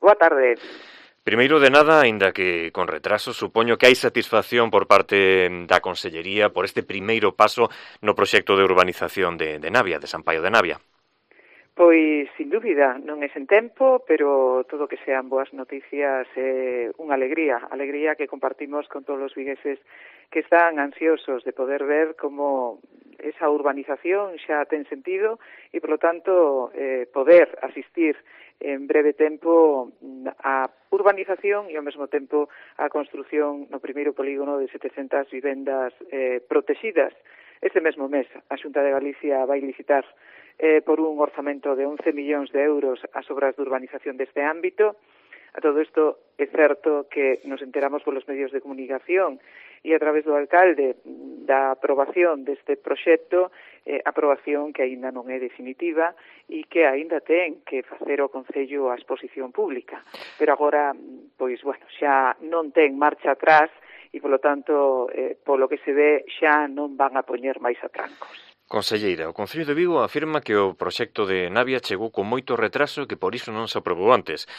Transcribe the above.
Boa tarde. Primeiro de nada, aínda que con retraso, supoño que hai satisfacción por parte da Consellería por este primeiro paso no proxecto de urbanización de Navia, de San Paio de Navia. Pois, sin dúbida, non é sen tempo, pero todo que sean boas noticias é unha alegría que compartimos con todos os vigueses que están ansiosos de poder ver como esa urbanización xa ten sentido e, polo tanto, poder asistir en breve tempo a urbanización e ao mesmo tempo a construción no primeiro polígono de 700 vivendas protegidas. Este mesmo mes a Xunta de Galicia vai licitar por un orzamento de 11 millóns de euros as obras de urbanización deste ámbito. A todo isto é certo que nos enteramos polos medios de comunicación e a través do alcalde da aprobación deste proxecto, aprobación que aínda non é definitiva e que aínda ten que facer o Concello a exposición pública. Pero agora, pois, bueno, xa non ten marcha atrás e, polo tanto, polo que se ve, xa non van a poñer máis atrancos. Conselleira, o Concello de Vigo afirma que o proxecto de Navia chegou con moito retraso e que por iso non se aprobou antes.